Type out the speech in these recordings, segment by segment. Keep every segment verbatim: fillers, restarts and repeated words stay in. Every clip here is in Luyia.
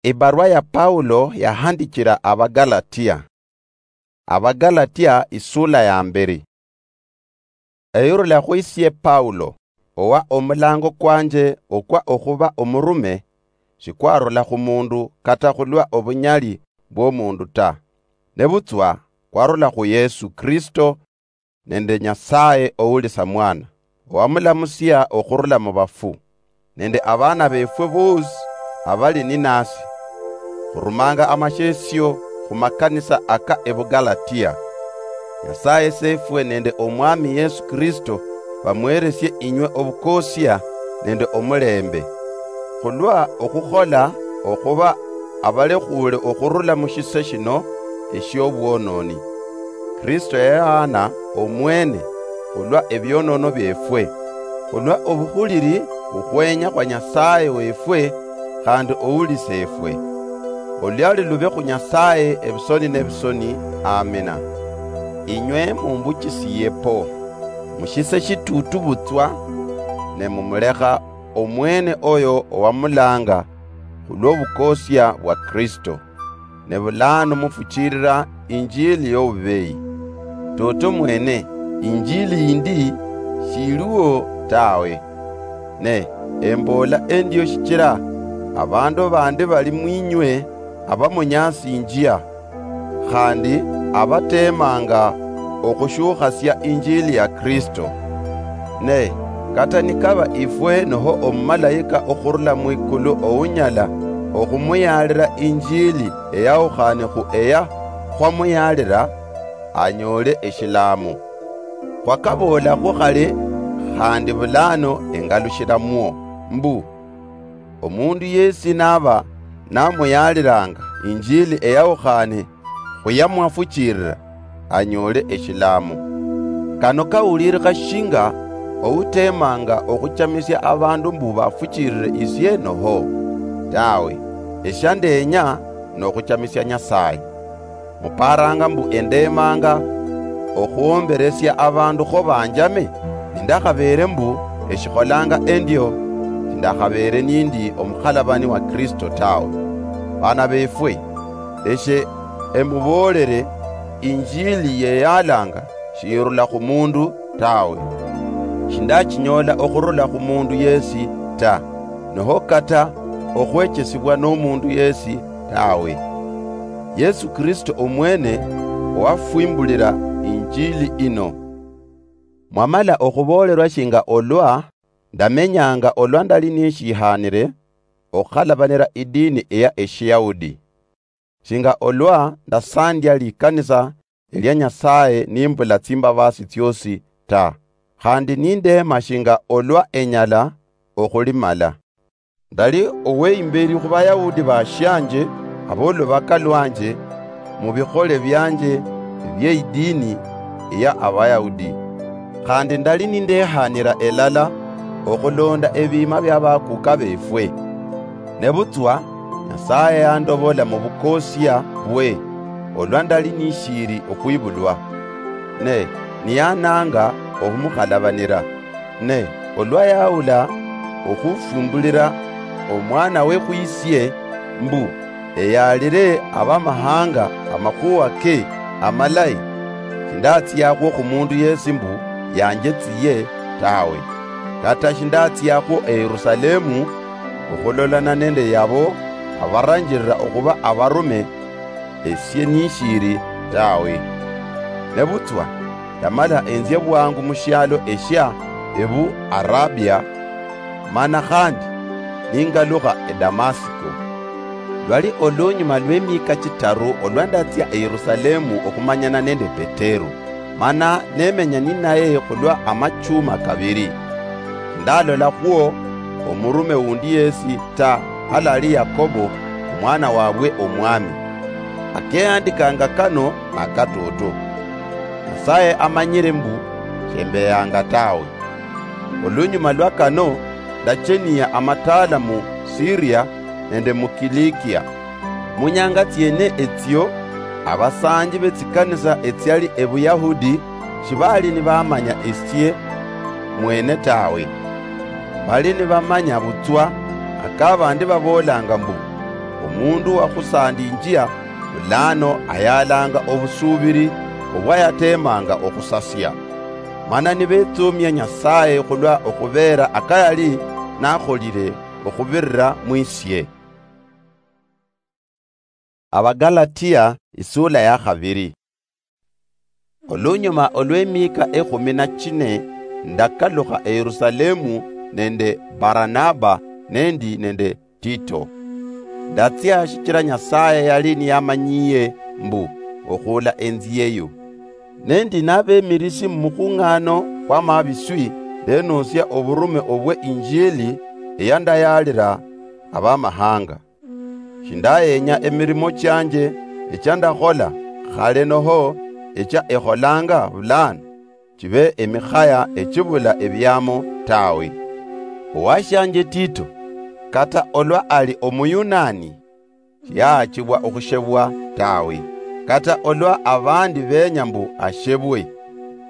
Ibarwa ya Paulo yahandichira Abagalatia. Abagalatia isula ya mberi. Eyurula khwisie Paulo, owa omulango kwanje okwa okhuba omurume, shikwarula khumundu kata khulwa obunyali bw'omundu ta, nebutswa kwarula khu Yesu Kristo, nende Nyasaye ouli Samwana, owamulamusia okhurula mubafu, nende abana befwe bosi abali ninasi. Khurumanga amashesio khumakanisa aka Ebugalatia. Nyasaye Sefwe nende Omwami Yesu Kristo bamweresie inywe obukosia nende omulembe, khulwa okhukhola okhuba abalekhuule okhurula mushise shino eshiobwononi. Kristo yayaana omwene khulwa ebionono biefwe, khulwa obukhuliri bukhwenya khwa Nyasaye wefwe khandi oulisefwe. Oluliali lube khu Nyasaye ebisoni nebisoni. Amina. Inywe mumbuchisiye po, mushise shitutu butswa, ne mumulekha omwene oyo owamulanga khulwobukosia bwa Kristo, ne bulano mufuchilila injili yobubeyi. Toto mwene, injili yindi shiliwo tawe. Ne embola endio shichila abandu bandi bali mwinywe abamunyasinjia, khandi abatemanga okhushukhasia injili ya Kristo. Ne kata nikaba ifwe noho omumalaika okhurula mwikulu ounyala okhumuyalira injili eyawukhane khu eya khwamuyalira, anyoole eshilaamo. Khwakaboolakhwo khale, khandi bulano engalushilamwo, mbu, omundu yesi naba namuyalilanga injili eyawukhane khuyamwafuchilila, anyoole eshilaamo. Kano kawulirikha shinga outemanga okhuchamisia abandu mbu bafuchilile isie noho? Tawe, eshandeenya nokhuchamisia Nyasaye. Muparanga mbu endemanga okhwomberesia abandu kho banjame? Nindakhabere mbu eshikholanga endio, sindakhabere nindi omukhalabani wa Kristo tawe. Bana befwe, eshe emuboolere injili yeyalanga shirula khumundu tawe. Shindachinyola okhurula khumundu yesi ta, noho kata okhwechesibwa nomundu yesi tawe. Yesu Kristo omwene owafwimbulila injili ino. Mwamala okhuboolerwa shinga olwa ndamenyanga olwa ndali nishihanire okhalabanira idini eya Eshiyahudi, shinga olwa ndasandia likanisa elia Nyasaye nimbula tsimbabasi tsiosi ta, khandi nindeema shinga olwa enyala okhulimala. Ndali oweimberi khu Bayahudi bashianje, abolubaka lwanje, mubikhole bianje ebieidini eya Abayahudi, khandi ndali nindehanira elala okhulonda ebiima bia bakuka befwe. Nebutswa Nyasaye yandobola mubukosia bwe olwa ndali nishiri okhwibulwa, ne niyananga okhumukhalabanira. Ne olwa yaula okhufumbulira Omwanawe khwisie, mbu eyalire Abamahanga amakhuwa ke amalayi, shindatsiakhwo khumundu yesi mbu yanjetsiye tawe, kata shindatsiakhwo eYerusalemu okhulolana nende yabo abaranjirira okhuba abarume esie nishiri tawe. Nebutswa ndamala enzia bwangu mushialo eshia Ebu Arabia, mana khandi ningalukha eDamasiko. Lwali olunyuma lwemiika chitaru olwa ndatsia eYerusalemu okhumanyana nende Petero, mana nemenya ninaye khulwa amachuma kabiri. Ndalolakhwo omurume wundi yesi ta halali Yakobo, omwana wabwe Omwami. Akeandikanga kano nakatoto. Nyasaye amanyire mbu shembeyanga tawe. Olunyuma lwa kano, ndachenia amataala mu Siria nende mu Kilikia. Munyanga tsiene etsio, abasanji betsikanisa etsiali Ebuyahudi shibali nibamanya esie mwene tawe. Bali nibamanya butswa aka bandi baboolanga mbu, omundu wakhusandinjia, bulano ayalanga obusuubiri obwayateemanga okhusasia. Mana nibetsuumia Nyasaye khulwa okhubeera akayali nakholile okhubirira mwisie. Abagalatia, isula ya khabiri. Olunyuma olw'emiika ekhumi na chine, ndakalukha e Yerusalemu nende Baranaba nendi nende Tito. Ndatsia shichira Nyasaye yali niyamanyiye mbu okhuula enzi yeyo. Nendi nabemirisi mumukhung'ano kwamabiswi, ndenosia oburume obwe Injili eyandayalira Abamahanga. Shindayenya emirimo chianje echia ndakhola khale noho echia ekholanga bulano, chibe emikhaya echibula ebiamo tawe. Owashianje Tito, kata olwa ali Omuyunani, shiyaachibwa okhushebwa tawe, kata olwa abandi benya mbu ashebwe.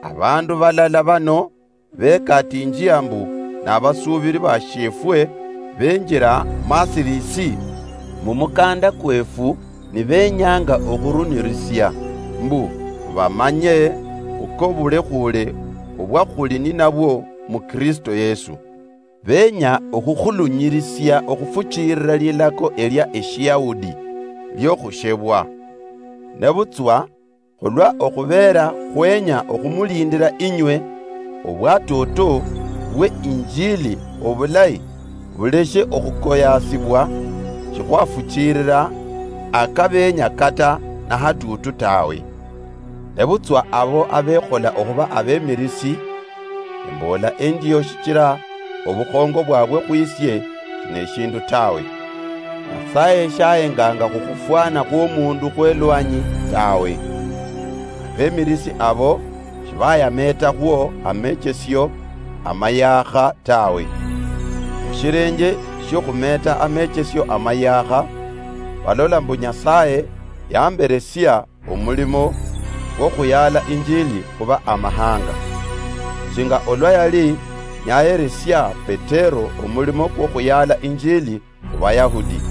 Abandu balala bano bekatinjia mbu nabasuubiri bashiefwe benjira mwasirisi mumukanda kwefu, nibenyanga okhurunirisia mbu bamanye okobulekhuule obwa khuli ninabwo mu Kristo Yesu. Benya okhukhulunyirisia okhufuchilira lilako elia Eshiyahudi liokhushebwa. Nebutswa khulwa okhubeera khwenya okhumulindira inywe, obwatoto bwe Injili obulayi buleshe okhukoyasibwa, shikhwafuchilira akabenya kata nahatuutu tawe. Nebutswa abo abekhola okhuba abemirisi, emboola endio shichira obukhongo bwabwe khwisie shineshindu tawe. Nyasaye shahenganga khukhufwana khwomundu khwelwanyi tawe. Abemirisi abo shibayameetakhwo amechesio amayaakha tawe. Mushirenje shiokhumeeta amechesio amayaakha, balola mbu Nyasaye yamberesia omulimo kwokhuyala Injili khuba Amahanga, shinga olwa yali niyaheresia Petero omulimo kwokhuyala Injili khubayahudi.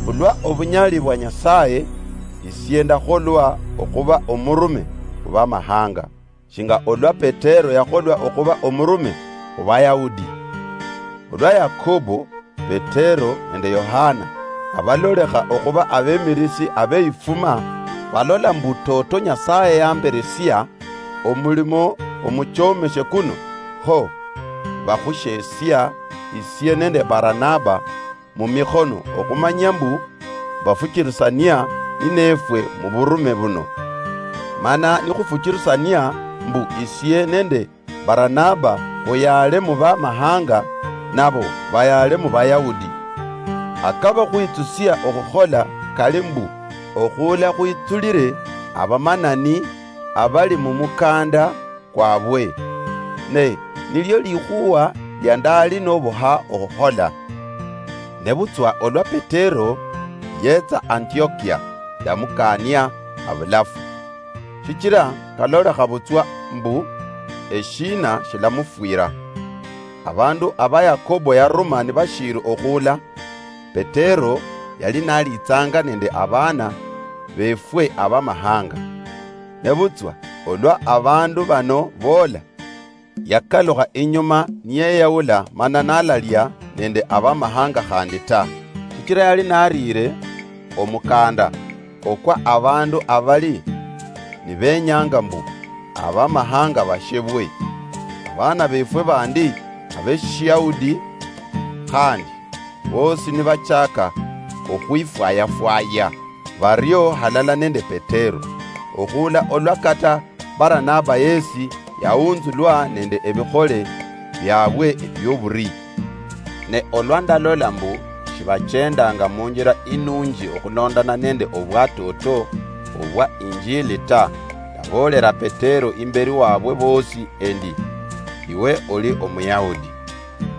Khulwa obunyali bwa Nyasaye, isie ndakholwa okhuba omurume khubamahanga, shinga olwa Petero yakholwa okhuba omurume khubayahudi. Olwa Yakobo, Petero nende Yohana abalolekha okhuba abemirisi abeifuma, balola mbu toto Nyasaye yamberesia omulimo omuchomeshe kuno, kho bakhushesia isie nende Baranaba mumikhono okhumanya mbu bafuchirisania ninefwe muburume buno. Mana nikhufuchirisania mbu isie nende Baranaba khuyaale mubamahanga, nabo bayaale mubayahudi. Akaba khwitsusia okhukhola kali mbu okhuula khwitsulire abamanani abali mumukanda kwabwe, ne nilio likhuwa lia ndali nobuha okhukhola. Nebutswa olwa Petero yetsa Antiokia, ndamukania abulafu, shichira kalolekha butswa mbu eshiina shilamufwira. Abandu aba Yakobo yaruma nibashiiri okhuula, Petero yali nalitsanga nende abaana befwe abamahanga. Nebutswa olwa abandu bano boola, yakalukha inyuma niyeyaula mana nalalia nende abamahanga khandi ta, shichira yali nariire omukanda okwa abandu abali nibenyanga mbu abamahanga bashebwe, abaana befwe bandi abeshiyahudi khandi, bosi nibachaka okhwifwayafwaya bario halala nende Petero, okhuula olwa kata Baranaba yesi yahunzulwa nende ebikhole biabwe ebioburii. Ne olwa ndalola mbu shibachendanga munjira inunji okhulondana nende obwatoto obwa Injili ta, ndaboolera Petero imberi wabwe bosi endi, iwe oli Omuyahudi,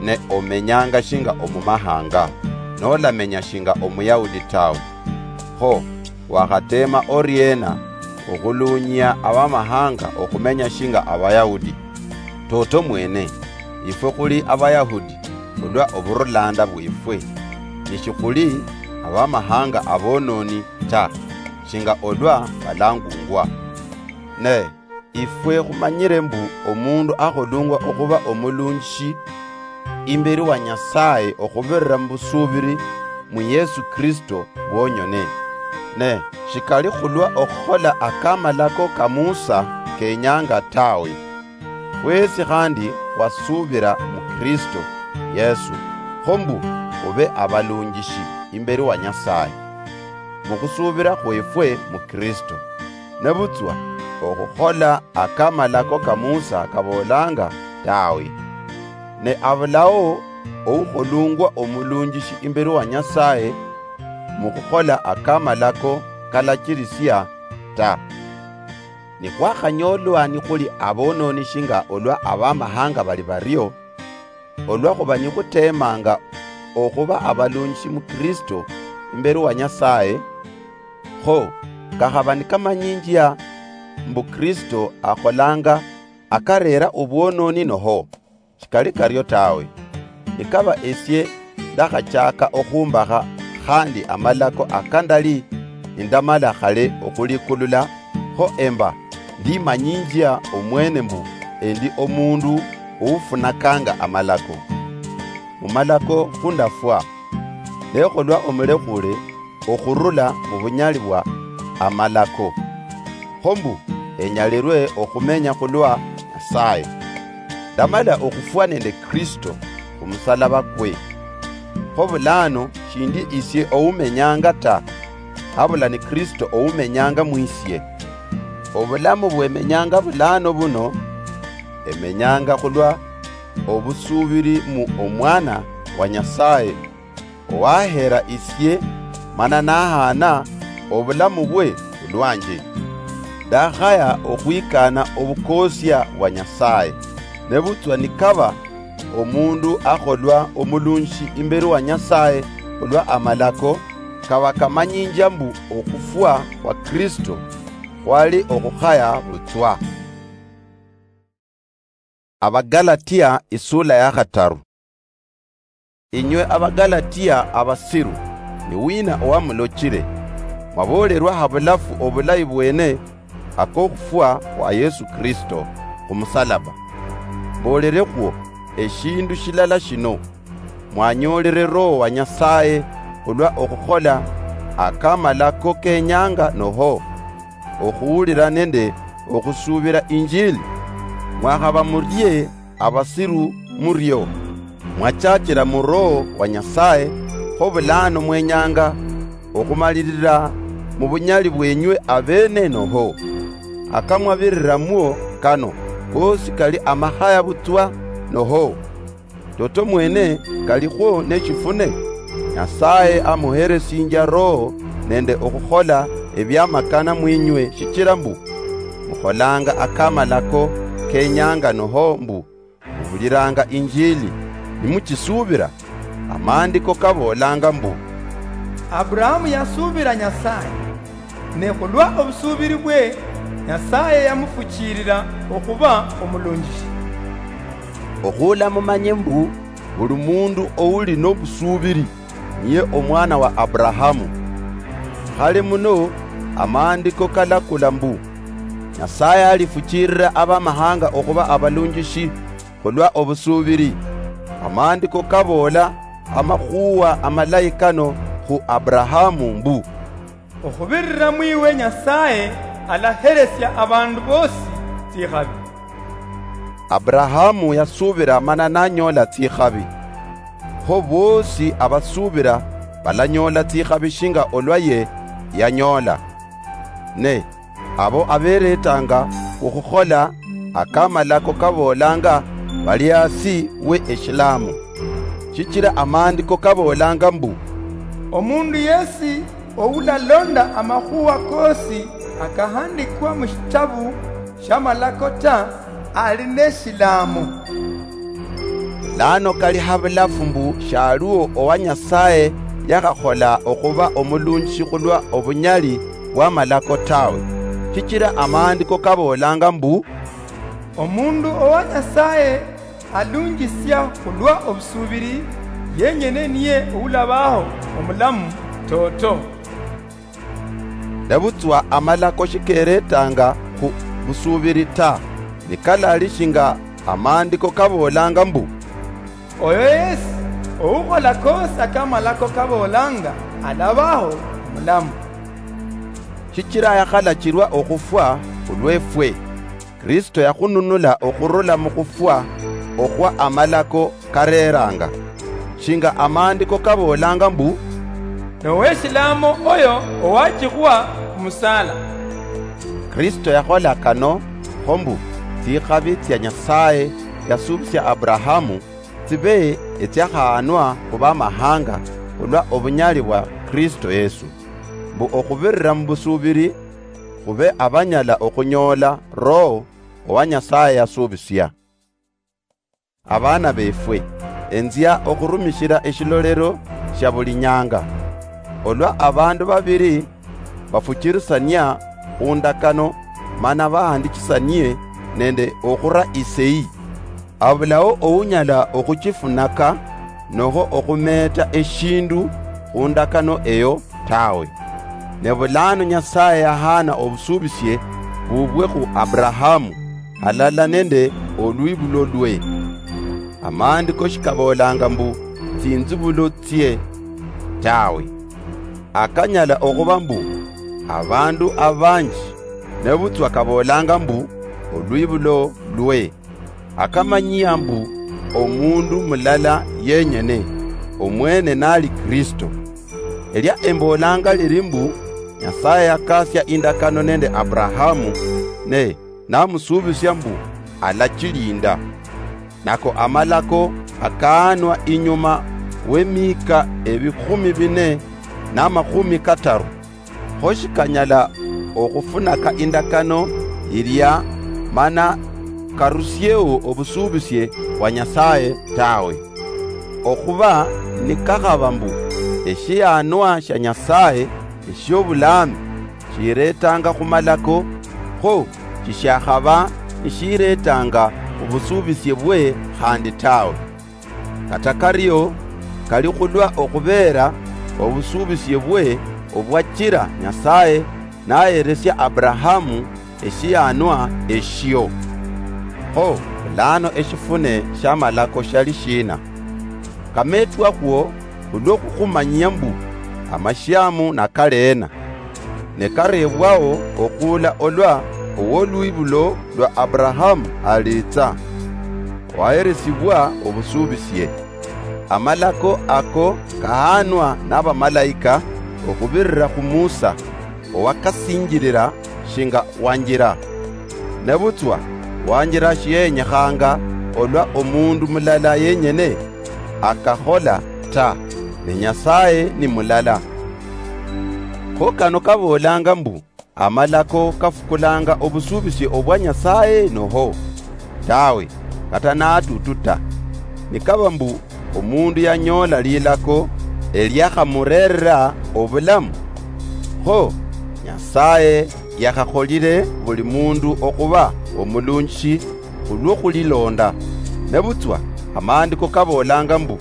ne omenyanga shinga omumahanga, nolamenya shinga Omuyahudi tawe. Kho, wakhatema oriena okhulunyia abamahanga okhumenya shinga Abayahudi? Toto mwene, ifwe khuli Abayahudi khulwa oburulanda bwefwe, nishikhuli abamahanga abononi ta, shinga olwa balangungwa. Ne ifwe khumanyire mbu omundu akholungwa okhuba omulunjishi imberi wa Nyasaye okhubirira mubusubiri mu Yesu Kristo bwonyene, ne shikali khulwa okhukhola akamalako ka Musa kenyanga tawe. Fwesi khandi khwasubira mu Kristo Yesu, kho mbu khube abalunjishi imberi wa Nyasaye mukhusubira khwefwe mu Kristo. Nebutswa okhukhola akamalako ka Musa kaboolanga tawe. Ne abulao oukholungwa omulunjishi imberi wa Nyasaye mukhukhola akamalako kalachirisia ta. Nikhwakhanyolwa nikhuli abononi shinga olwa abamahanga bali bario, olwakhuba nikhutemanga okhuba abalunjishi mu Kristo imberi wa Nyasaye, kho kakhaba nikamanyinjia mbu Kristo akholanga akarera obwononi noho? Shikali kario tawe. Nikaba esie ndakhachaka okhumbakha khandi amalako akandali nindamala khale okhulikulula, kho emba ndimanyinjia omwene mbu endi omundu oufunakanga amalako. Mumalako khundafwa, nekholwa omulekhule okhurula mubunyali bwa amalako, kho mbu enyalirwe okhumenya khulwa Nyasaye. Ndamala okhufwa nende Kristo khumusalaba kwe. Kho bulano shindi isie oumenyanga ta, habula ni Kristo oumenyanga mwisie. Obulamu bwemenyanga bulano buno, emenyanga khulwa obusubiri mu Omwana wa Nyasaye, owahera isie, mana nahana obulamu bwe khulwanje. Ndakhaya okhwikana obukosia bwa Nyasaye. Nebutswa nikaba omundu akholwa omulunji imberi wa Nyasaye khulwa amalako, kaba kamanyinjia mbu okhufwa khwa Kristo khwali okhukhaya butswa. Abagalatia isula ya khataru. Inywe Abagalatia abasiru, ni wina owamulochire? Mwabolerwa ha bulafu obulayi bwene akokhufwa khwa Yesu Kristo khumusalaba. Mbolerekhwo eshindu shilala shino: mwanyolere Roho wa Nyasaye khulwa okhukhola akamalako kenyanga noho? Okhuwulira nende okhusubira Injili? Mwakhaba murie abasiru murio? Mwachachira mu Roho wa Nyasaye, kho bulano mwenyanga okhumalirira mu bunyali bwenywe abene noho? Akamwabiriramwo kano kosi kali amakhaya butswa noho? Toto mwene kalikhwo neshifune? Nyasaye amuheresinjia Roho nende okhukhola ebiamakana mwinywe, shichira mbu mukholanga akamalako kenyanga noho mbu muhuliranga Injili, nimuchisubira? Amaandiko kaboolanga mbu, Aburahamu yasuubira Nyasaye, ne khulwa obusuubiri bwe, Nyasaye yamufuchiirira okhuba omulunjishi. Okhuula mumanye mbu buli mundu ouli nobusuubiri niye omwana wa Aburahamu. Khale muno, amaandiko kalakula mbu, Nyasaye alifuchiirira abamahanga okhuba abalunjishi khulwa obusuubiri. Amaandiko kaboola amakhuwa amalayi kano khu Aburahamu mbu, Okhubirira mwiwe Nyasaye alaheresia abandu bosi tsikhabi. Aburahamu yasuubira mana nanyoola tsikhabi. Kho boosi abasuubira balanyoola tsikhabi shinga olwa ye yanyoola. Ne abo aberetanga okhukhola akamalako kaboolanga bali hasi we eshilamu. Shichira amaandiko kaboolanga mbu, Omundu yesi oulalonda amakhuwa kosi akahandikwa mushitabu shiamalako ta, ali neshilamu. Lano kali habulafu mbu shaliwo owa Nyasaye yakhakhola okhuba omulunjishi khulwa obunyali bwamalako tawe, shichira amaandiko kaboolanga mbu, Omundu owa Nyasaye alunjisia khulwa obusuubiri, yenyene niye oulabaho omulamu toto. Nebutswa amalako shikeretanga khu busuubiri ta, nikalali shinga amaandiko kaboolanga mbu, "Oyo yesi oukhola kosi akamalako kaboolanga, alabaho mulamu." Shichira yakhalachirwa okhufwa khulwefwe, Kristo yakhununula okhurula mukhufwa okhwa amalako kareranga, shinga amaandiko kaboolanga mbu, "Noweshilamo oyo owachikhwa khumusala." Kristo yakhola kano kho mbu tsikhabi tsia Nyasaye yasuubisia Abrahamu tsibe etsiakhahanwa khu bamahanga khulwa obunyali bwa Kristo Yesu, mbu okhubirira mubusuubiri khube abanyala okhunyola Roho owa Nyasaye yasuubisia. Abaana befwe, enzia okhurumishira eshilolero shia buli nyanga. Olwa abandu babiri bafuchirisania khundakano mana bahandichisanie nende okhura iseyi, abulao ounyala okhuchifunaka noho okhumeta eshindu khundakano eyo tawe. Ne bulano Nyasaye yahana obusubisie bubwe khu Abrahamu, halala nende olwibulo lwe. Amaandiko shikaboolanga mbu tsinzibulo tsie tawe. Akanyala okhuba mbu abandu abanji, nebutswa kaboolanga mbu olwibulo lwe. Akamanyia mbu omundu mulala yenyene, omwene nali Kristo. Elia emboolanga liri mbu Nyasaye yakasia indakano nende Abrahamu, ne namusubisia mbu alachilinda. Nako amalako akaanwa inyuma w'emiika ebikhumi bine n'amakhumi kataru, kho shikanyala okhufunaka indakano ilia mana karusieo obusubisie bwa Nyasaye tawe. Okhuba nikakhaba mbu eshianwa shia Nyasaye eshiobulaami shiretanga khumalako, kho shishiakhaba nishiretanga obusubisie bwe khandi tawe. Kata kario, kali khulwa okhubeera obusubisie bwe obwachira Nyasaye naheresia Abrahamu eshianwa eshio. Kho bulano eshifune shiamalako shali shina? Kametwakhwo khulwo khukhumanyia mbu amashiamu nakaleena. Ne karebwao okhuula olwa owolwibulo lwa Abrahamu alitsa, waheresibwa obusubisie. Amalako ako kahanwa nabamalaika okhubirira khu Musa, owakasinjirira shinga wanjira. Nebutswa wanjira shiyenyekhanga olwa omundu mulala yenyene akakhola ta, ne Nyasaye ni mulala. Kho kano kaboolanga mbu amalako kafukulanga obusubisie obwa Nyasaye noho? Tawe, kata natutu ta. Nikaba mbu omundu yanyoola lilako eliakhamurerera obulamu, kho Nyasaye yakhakholire buli mundu okhuba omulunjishi khulwo khulilonda. Nebutswa amaandiko kaboolanga mbu,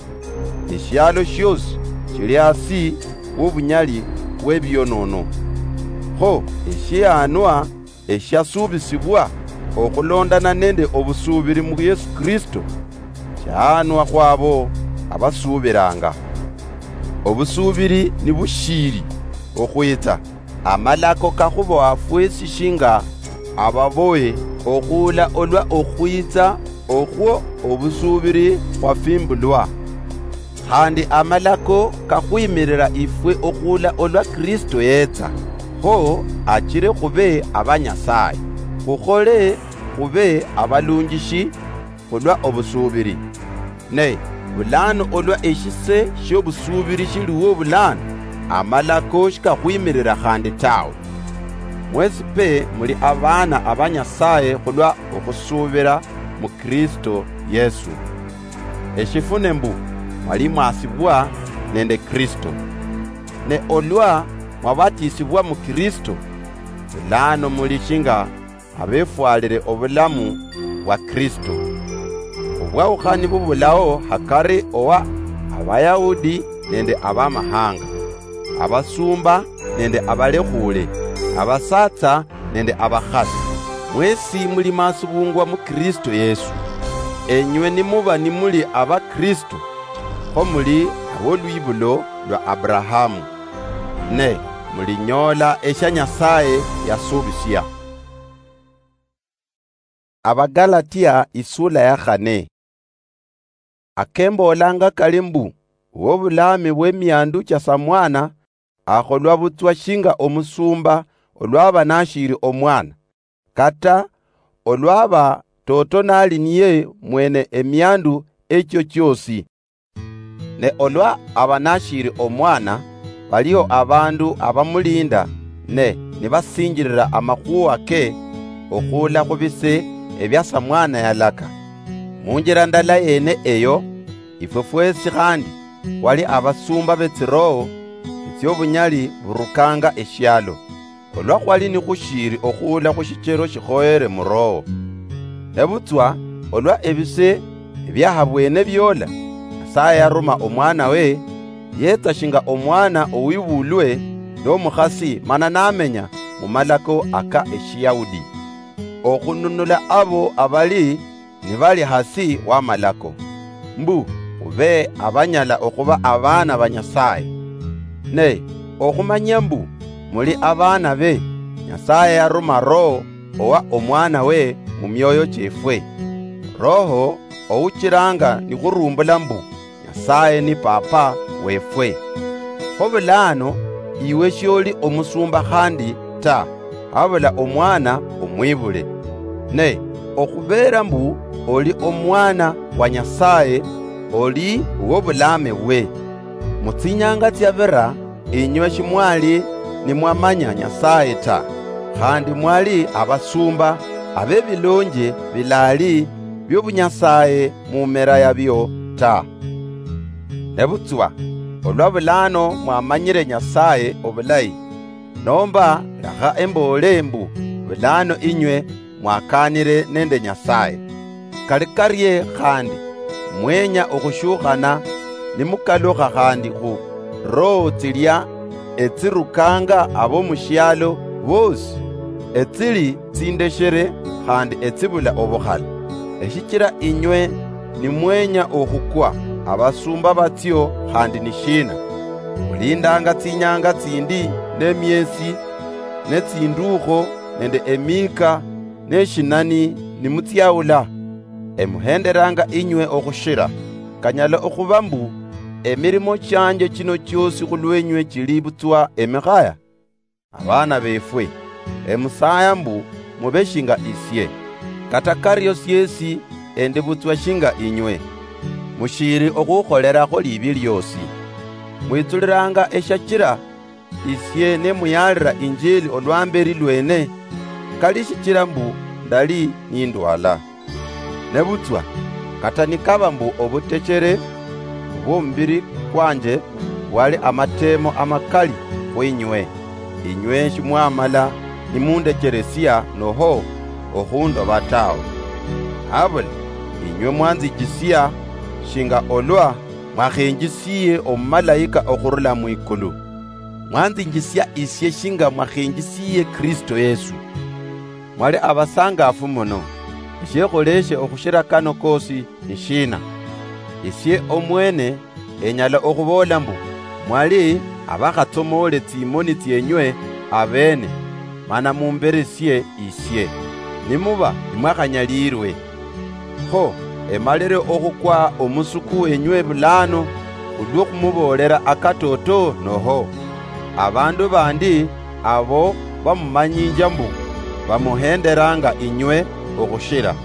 eshialo shiosi shili hasi wobunyali bwebionono. Kho eshianwa eshiasubisibwa okhulondana nende obusubiri mu Yesu Kristo, shaanwa khwabo abasubiranga. Obusubiri nibushiili okhwitsa, amalako kakhuboha fwesi shinga ababohe okhuula olwa okhwitsa okhwo obusubiri khwafimbulwa. Khandi amalako kakhwimirira ifwe okhuula olwa Kristo yetsa, kho achire khube aba Nyasaye, khukhole khube abalunjishi khulwa obusuubiri. Ne bulano olwa eshise shiobusuubiri shiliwo bulano, amalako shikakhwimirira khandi tawe. Mwesi pe muli abaana aba Nyasaye khulwa okhusuubira mu Kristo Yesu. Eshifune mbu mwali mwasibwa nende Kristo. Ne olwa mwabatisibwa mu Kristo, bulano muli shinga abefwalire obulamu bwa Kristo. Obwaukhani bubulao hakari owa Abayahudi nende Abamahanga. abasumba nende abalekhuule, abasatsa nende abakhasi. Mwesi muli masubungwa mu Kristo Yesu. Enywe nimuba nimuli aba Kristo, kho muli abolwibulo lwa Abrahamu, ne mulinyoola esha Nyasaye yasubisia. Abagalatia isula ya khane. Akemboolanga kali mbu, wobulaami bw'emiandu cha samwana akholwa butswa shinga omusumba olwaba nashiiri omwana, kata olwaba toto nali niye mwene emiandu echio chiosi. Ne olwa aba nashiiri omwana, baliho abandu abamulinda, ne nibasinjirira amakhuwa ke okhuula khu bise ebia samwana yalaka. Munjira ndala yene eyo, ifwe fwesi khandi khwali abasumba betsiroho etsiobunyali burukanga eshialo, olwa khwali nikhushiiri okhuula khu shichero shikhoyere mu Roho. Nebutswa olwa ebise ebiahabwene biola, Nyasaye yaruma omwana we, yetsa shinga omwana owibulwe nomukhasi mana namenya mu malako aka Eshiyahudi, okhununula abo abali nibali hasi wamalako, mbu khube abanyala okhuba abaana ba Nyasaye. Ne okhumanya mbu muli abaana be, Nyasaye yaruma Roho owa omwana we mu mioyo chiefwe, Roho ouchiranga nikhurumbula mbu, Nyasaye ni Papa wefwe. Kho bulano iwe shioli omusumba khandi ta, habula omwana omwibule. Ne okhubeera mbu oli omwana wa Nyasaye, oli wobulaame bwe. Mutsinyanga tsiabira, inywe shimwali nimwamanya Nyasaye ta, khandi mwali abasumba abebilonje bilali biobunyasaye mumera yabio ta. Nebutswa olwa bulano mwamanyire Nyasaye obulayi, nomba lakha emboole mbu bulano inywe mwakaanire nende Nyasaye. Kali karie khandi, mwenya okhushukhana nimukalukha khandi khu roho tsilia etsirukanga abo mushialo bosi, etsili tsindeshere khandi etsibula obukhala. Eshichira inywe nimwenya okhukwa, abasumba batsio khandi nishina? Mulindanga tsinyanga tsindi nemiesi, netsindukho nende emiika, neshinani nimutsiaula? Emuhenderanga inywe okhushira. Kanyala okhuba mbu emirimo chianje chino chiosi khulwenywe chili butswa emikhaya? Abaana befwe, emusaaya mbu mube shinga isie. Kata kario siesi endi butswa shinga inywe. Mushiiri okhukholerakho libi liosi. Mwitsuliranga eshachira isie nemuyaalira injili olwamberi lwene, kali shichira mbu ndali nindwala. Nebutswa, kata nikaba mbu obutechere bwomubiri kwanje bwali amateemo amakali khwinywe, inywe shimwamala nimundecheresia noho okhundoba tawe. Habula inywe mwanzichisia shinga olwa mwakhenjisiye omumalaika okhurula mwikulu. Mwanzinjisia isie shinga mwakhenjisiye Kristo Yesu. Mwali abasangafu muno. Eshiekholeshe okhushira kano kosi nishina? Isie omwene enyala okhuboola mbu, mwali abakhatsomoole tsimoni tsienywe abeene, mana mumberesie isie, nimuba nimwakhanyaliirwe. Kho emalire okhukwa omusuku wenywe bulano khulwo khumuboolera akatoto noho? Abandu bandi abo bamumanyinja mbu bamuhenderanga inywe okhushira.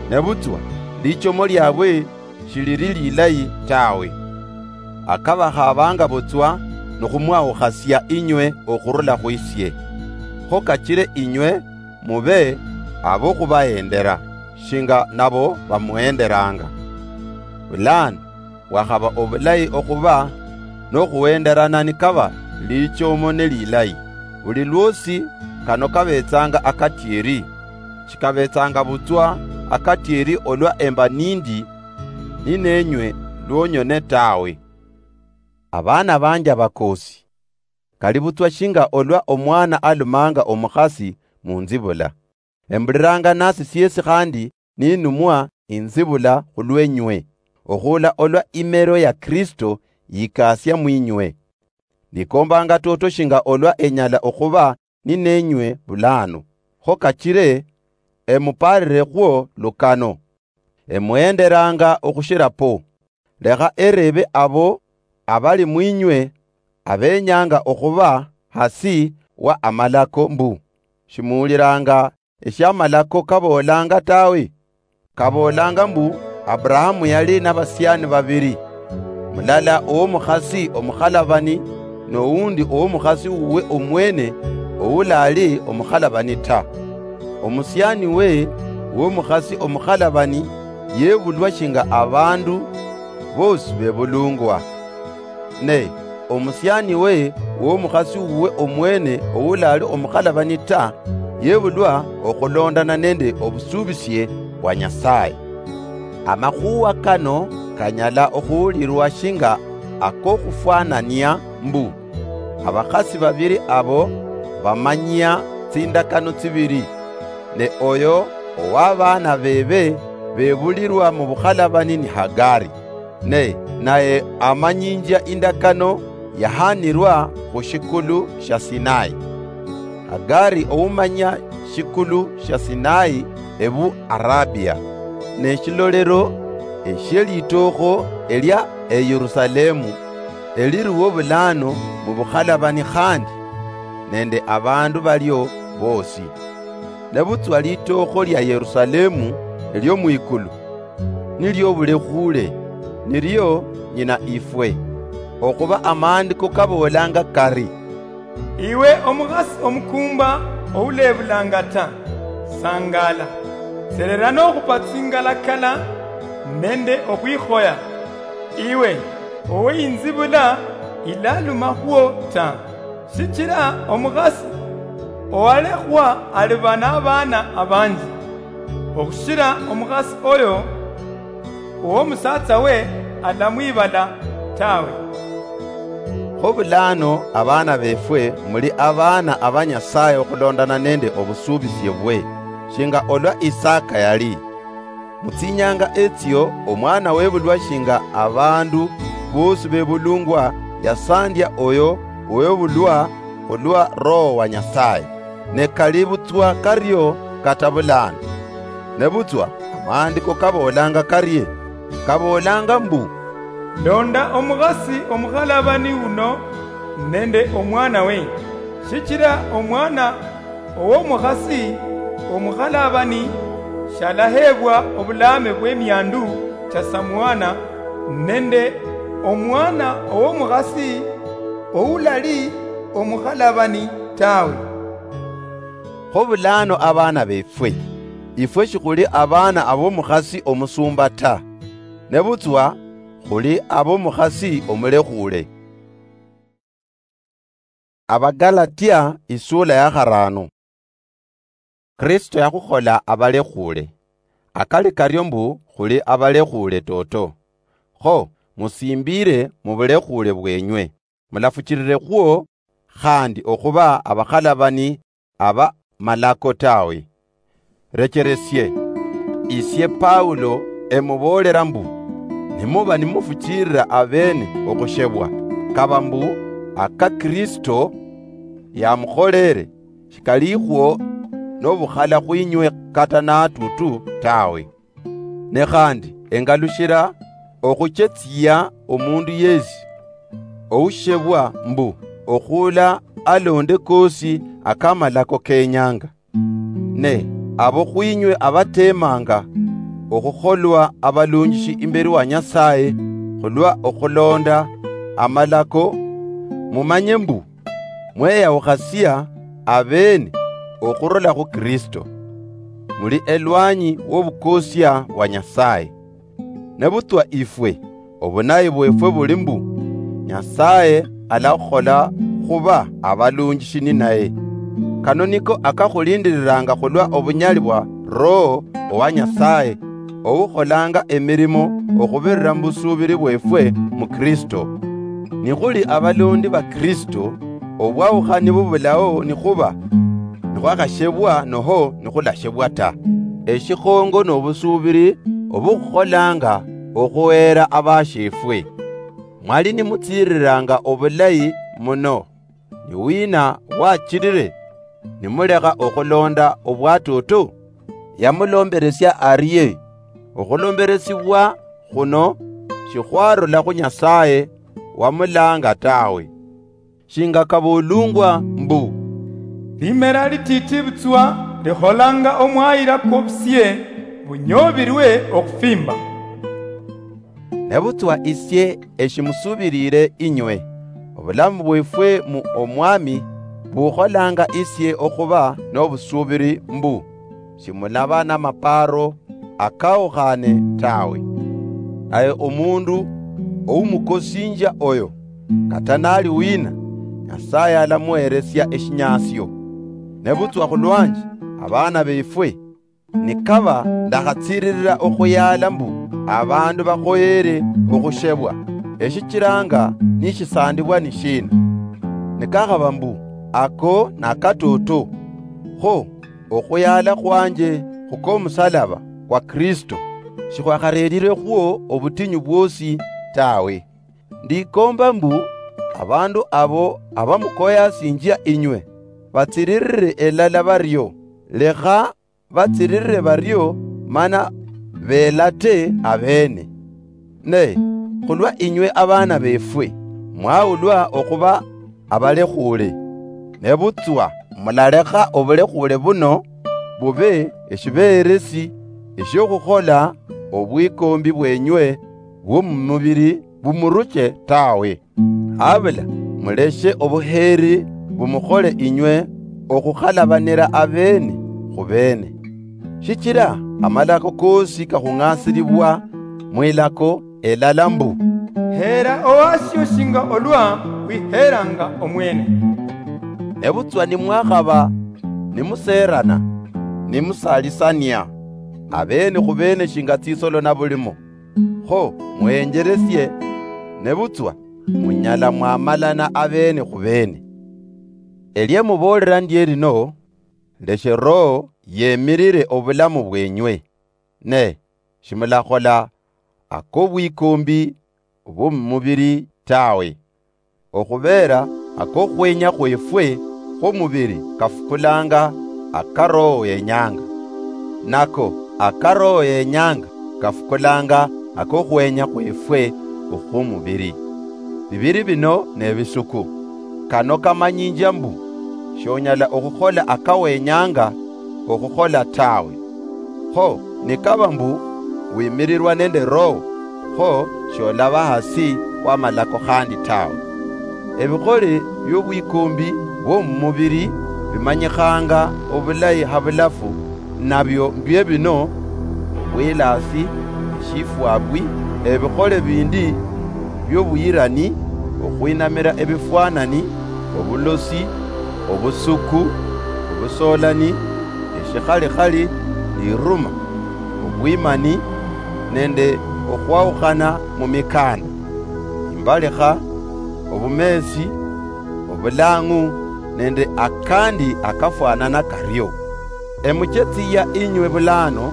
Nebutswa lichomo liabwe shiliri lilayi tawe. Akabakhabanga butswa nikhumwawukhasia inywe okhurula khwisie. Kho kachire inywe mube abokhubahendera, shinga nabo bamuhenderanga. Bulano, bwakhaba obulayi okhuba nokhuhenderana nikaba lichomo nelilayi. Buli lwosi kano kabetsanga akatieri, shikabetsanga butswa akatieri olwa emba nindi ninenywe lwonyone tawe. Abaana banje abakosi, kali butswa shinga olwa omwana alumanga omukhasi munzibula. Embuliranga nasi siesi khandi ninumwa inzibula khulwenywe, okhula olwa imero ya Kristo yikasia mwinywe. Nikombanga toto shinga olwa enyala okhuba ninenywe bulano, kho kachire emuparire khwo lukano. Emuhenderanga okhushira po. Lekha erebe abo abali mwinywe abenyanga okhuba hasi wa amalako mbu, shimuwuliranga eshiamalako kaboolanga tawe? Kaboolanga mbu Abrahamu yali nabasiani babiri, mulala owomukhasi omukhalabani, nowundi owomukhasi wuwe omwene owulali omukhalabani ta. Omusiani we womukhasi omukhalabani yebulwa shinga abandu bosi bebulungwa. Ne omusiani we womukhasi wuwe omwene owulali omukhalabani ta, yebulwa okhulondana nende obusubisie bwa Nyasaye. Amakhuwa kano kanyala okhuwulirwa shinga akokhufwanania mbu, abakhasi babiri abo bamanyia tsindakano tsibiri, ne oyo owabaana bebe bebulirwa mubukhalabani ni Hagari, ne naye amanyinjia indakano yahanirwa khushikulu shia Sinai. Hagari oumanya shikulu shia Sinai ebu Arabia, ne shilolero eshielitookho elia eYerusalemu, eliruwo bulano mubukhalabani khandi nende abandu balio bosi. Nebutswa litookho lia Yerusalemu elio mwikulu, nilio bulekhuule, nilio nyina ifwe. Okhuba amaandiko kaboolanga kari, "Iwe omukhasi omukuumba oulebulanga ta, sangaala, serera nokhupa tsingalakala nende okhwikhoya, iwe oweinzibula ilaluma khwo ta, shichira omukhasi owalekhwa aliba nabaana abanji, okhushira omukhasi oyo owomusatsa we alamwibala tawe." Kho bulano abaana befwe, muli abaana aba Nyasaye okhulondana nende obusubisie bwe, shinga olwa Isaka yali. Mutsinyanga etsio omwana webulwa shinga abandu bosi bebulungwa yasandia oyo owebulwa khulwa Roho wa Nyasaye. Ne kali butswa kario kata bulano. Nebutswa amaandiko kaboolanga karie? Kaboolanga mbu, "Londa omukhasi omukhalabani uno nende omwana we, shichira omwana owomukhasi omukhalabani shalaheebwa obulaame bwemiandu chia samwana nende omwana owomukhasi oulali omukhalabani tawe." Kho bulano abaana befwe, ifwe shikhuli abaana abomukhasi omusumba ta, nebutswa khuli abomukhasi omulekhuule. Abagalatia isula ya kharano. Kristo yakhukhola abalekhuule. Akali kario mbu khuli abalekhuule toto. Kho, musimbire mubulekhuule bwenywe. Mulafuchirire khwo khandi okhuba abakhalabani aba malako tawe. Recheresie, isie Paulo emuboolera mbu, nimuba nimufuchirira abeene okhushebwa, kaba mbu aka Kristo yamukholere, shikalikhwo nobukhala khwinywe kata natutu tawe. Ne khandi engalushira okhuchetsia omundu yesi oushebwa mbu okhula alonde kosi akamalako kenyanga. Ne abo khwinywe abatemanga okhukholwa abalunjishi imberi wa Nyasaye khulwa okhulonda amalako, mumanye mbu mweyawukhasia abeene okhurula khu Kristo, muli elwanyi wobukosia bwa Nyasaye. Nebutswa ifwe, obunayi bwefwe buli mbu, Nyasaye alakhukhola khuba abalunjishi ninaye. Kano niko akakhulindiriranga khulwa obunyali bwa Roho owa Nyasaye, oukholanga emirimo okhubirira mubusubiri bwefwe mu Kristo. Nikhuli abalondi ba Kristo, obwaukhani bubulao nikhuba nikhwakhashebwa noho nikhulashebwa ta. Eshikhongo nobusuubiri obukhukholanga okhuheera abashiefwe. Mwali nimutsiriranga obulayi muno. Ni wina wachirire nimulekha okhulonda obwatoto? Yamulomberesia arie? Okhulomberesibwa khuno shikhwarula khu Nyasaye wamulanga tawe. Shinga kaboolungwa mbu, limera litiiti butswa likholanga omwayira kwobusie bunyobirwe okhufimba. Nebutswa isie eshimusubirire inywe, obulamu bwefwe mu Omwami bukholanga isie okhuba nobusuubiri mbu shimulaba namaparo akawukhane tawe. Naye omundu oumukosinjia oyo, kata nali wina, Nyasaye alamuheresia eshinyasio. Nebutswa khulwanje, abana befwe, nikaba ndakhatsiririra okhuyala mbu abandu bakhoyere okhushebwa, eshichiranga nishisandibwa ni shina? Nikakhaba mbu ako nakatoto, kho okhuyala khwanje khukomusalaba kwa Kristo shikhwakharerirekhwo obutinyu bwosi tawe. Ndikomba mbu abandu abo abamukoyasinjia inywe batsiririre elala bario, lekha batsiririre bario mana belate abene. Ne khulwa inywe abana befwe, mwawulwa okhuba abalekhuule. Nebutswa mulalekha obulekhuule buno bube eshibeheresi eshikhukhola obwikombi bwenywe bwomumubiri bumuruche tawe. Habula muleshe obuheeri bumukhole inywe okhukhalabanira abene khubene. Shichira amalako koosi kakhung'asilibwa mwilako elala mbu, heera owasio shinga olwa wiheeranga omwene. Nebutswa nimwakhaba nimuseerana, nimusalisania abene khubene shinga tsisolo nabulimo, kho mwenjeresie, nebutswa munyala mwamalana abene khubene. Elia muboolera ndie lino, leshe Roho yemirire obulamu bwenywe, ne shimulakhola akobwikombi bwomumubiri tawe. Okhubeera akokhwenya khwefwe khwomubiri kafukulanga aka Roho yenyanga, nako aka Roho yenyanga kafukulanga akokhwenya khwefwe okhwomubiri. Bibiri bino nebisuku. Kano kamanyinjia mbu shonyala okhukhola akawenyanga okhukhola tawe. Kho nikaba mbu wimirirwa nende Roho, kho sholaba hasi wamalako khandi tawe. Ebikhole biobwikombi bwomumubiri bimanyikhanga obulayi habulafu, nabio mbie bino: obwilasi, eshifwabwi, ebikhole bindi biobuyirani, okhwinamira ebifwanani, obulosi, obusuku, obusolani, eshikhalikhali, liruma, obwimani, nende okhwaukhana mumikanda, imbalikha, obumeesi, obulang'u, nende akandi akafwanana kario. Emuchetsiya inywe bulano,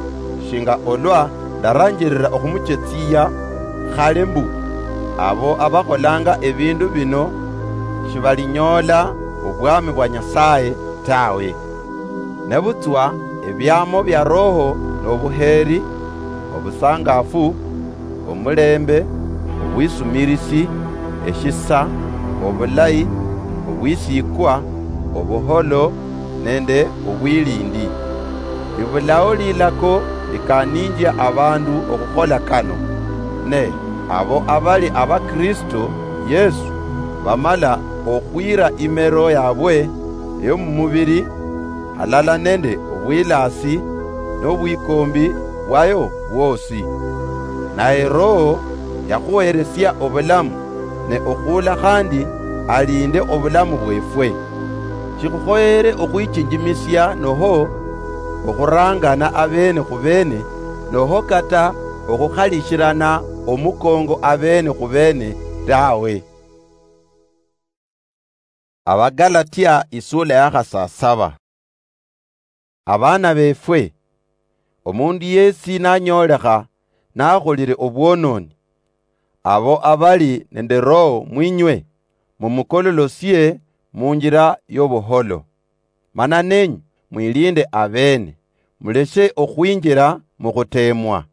shinga olwa ndaranjirira okhumuchetsiya khale mbu, abo abakholanga ebindu bino shibalinyoola obwami bwa Nyasaye tawe. Nebutswa ebiamo bia Roho nobuheeri, obusangafu, omulembe, obwisumirisi, eshisa, obulayi, obwisikwa, obuholo, nende obwilindi. Bibulao lilako likaninjia abandu okhukhola kano, ne abo abali aba Kristo Yesu bamala okhwira imero yabwe yomumubiri, halala nende obwilasi nobwikombi bwayo bwosi. Naye Roho yakhuheresia obulamu, ne okhuula khandi alinde obulamu bwefwe. Shikhukhoyere okhwichinjimisia noho okhurangana abene khubene, noho kata okhukhalishirana omukongo abene khubene tawe. Abagalatia isula ya khasasaba. Abana befwe, omundu yesi nanyoolekha nakholile obwononi, abo abali nende Roho mwinywe, mumukololosie munjila yobuholo. Mana nenyu mwilinde abene, muleshe okhwinjila mukhutemwa.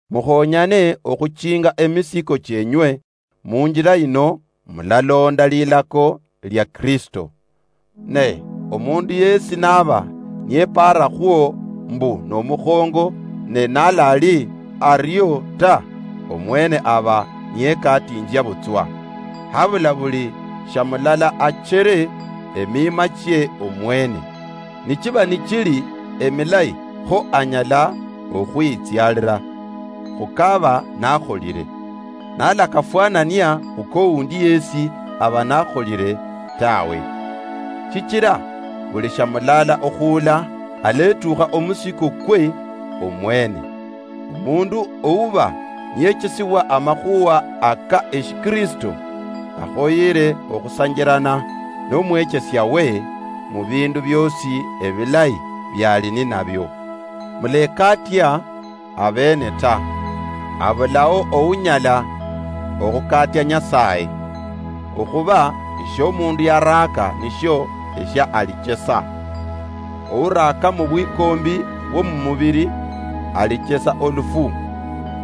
Mukhonyane okhuchinga emisiko chienywe, munjila yino mulalonda lilako lia Kristo. Ne omundu yesi naba niyepaarakhwo mbu nomukhongo, ne nalali ario ta, omwene aba niyekatinjia butswa. Habula buli shamulala achere emima chie omwene. Nichiba nichili emilayi, kho anyala okhwitsialira khukaba nakholile. Nalakafwanania khukoundi yesi aba nakholile tawe. Shichila buli shamulala okhuula aletukha omusiko kwe omwene. Omundu ouba niyechesibwa amakhuwa aka eshikristo, akhoyere okhusanjirana nomwechesia we mubindu biosi ebilayi biali ninabio. Mulekatia abene ta. Abulao ounyala okhukatia Nyasaye, okhuba eshiomundu yaraaka nishio eshia alichesa. Ouraaka mubwikombi bwomumubiri alichesa olufu,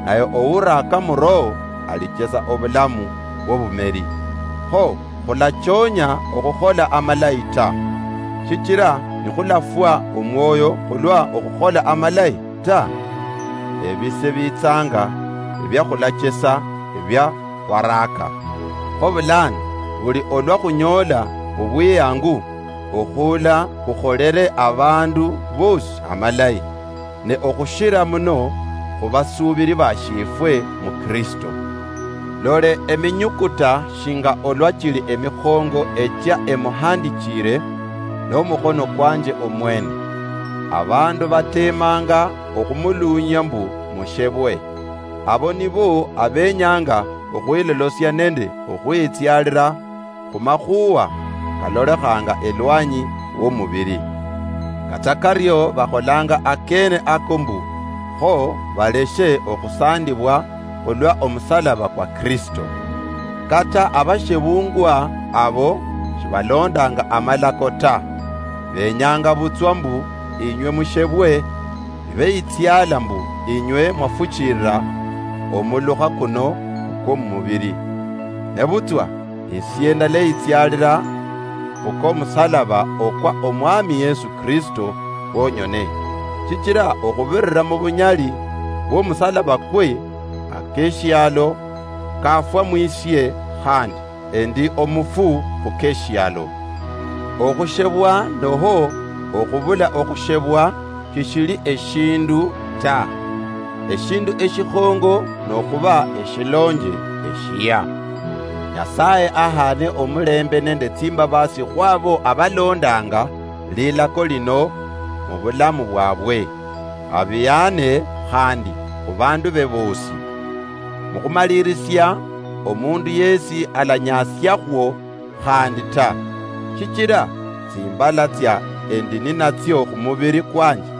naye ouraaka muRoho alichesa obulamu bwobumeri. Kho khulachonya okhukhola amalayi ta, shichila nikhulafwa omwoyo khulwa okhukhola amalayi ta, ebise bitsanga ebia khulachesa ebia khwaraaka. Kho bulano, buli olwa khunyoola obwiyangu, okhuula khukholere abandu bosi amalayi, ne okhushira muno khubasuubiri bashiefwe muKristo. Lole eminyukuta shinga olwa chili emikhongo echia emuhandichire nomukhono kwanje omwene. Abandu batemanga okhumuluunyia mbu mushebwe. Abo nibo abenyanga okhwilolosia nende okhwitsialira khumakhuwa kalolekhanga elwanyi womubiri. Kata kario bakholanga akene ako mbu, kho baleshe okhusandibwa khulwa omusalaba kwa Kristo. Kata abashebungwa abo shibalondanga amalako ta, benyanga butswa mbu inywe mushebwe, nibeyitsiala mbu inywe mwafuchilila omulukha kuno kwomumubiri. Nebutswa esie ndaleyitsialila khukwomusalaba okwa Omwami Yesu Kristo khwonyone, shichila okhubirira mubunyali bwomusalaba kwe, akeshialo kafwa mwisie, khandi endi omufu khukeshialo. Okhushebwa noho okhubula okhushebwa shishili eshindu ta. Eshindu eshikhongo nokhuba eshilonje eshia. Nyasaye ahane omulembe nende tsimbabasi khwabo abalondanga lilako lino mubulamu bwabwe, abiyane khandi khubandu be bosi. Mukhumalirisia, omundu yesi alanyasiakhwo khandi ta, shichila tsimbala tsia endi ninatsio khumubiri kwanje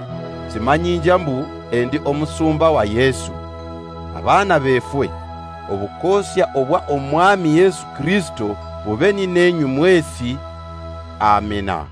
tsimanyinjia mbu endi omusumba wa Yesu. Abana befwe, obukosia obwa Omwami Yesu Kristo bube ninenyu mwesi. Amina.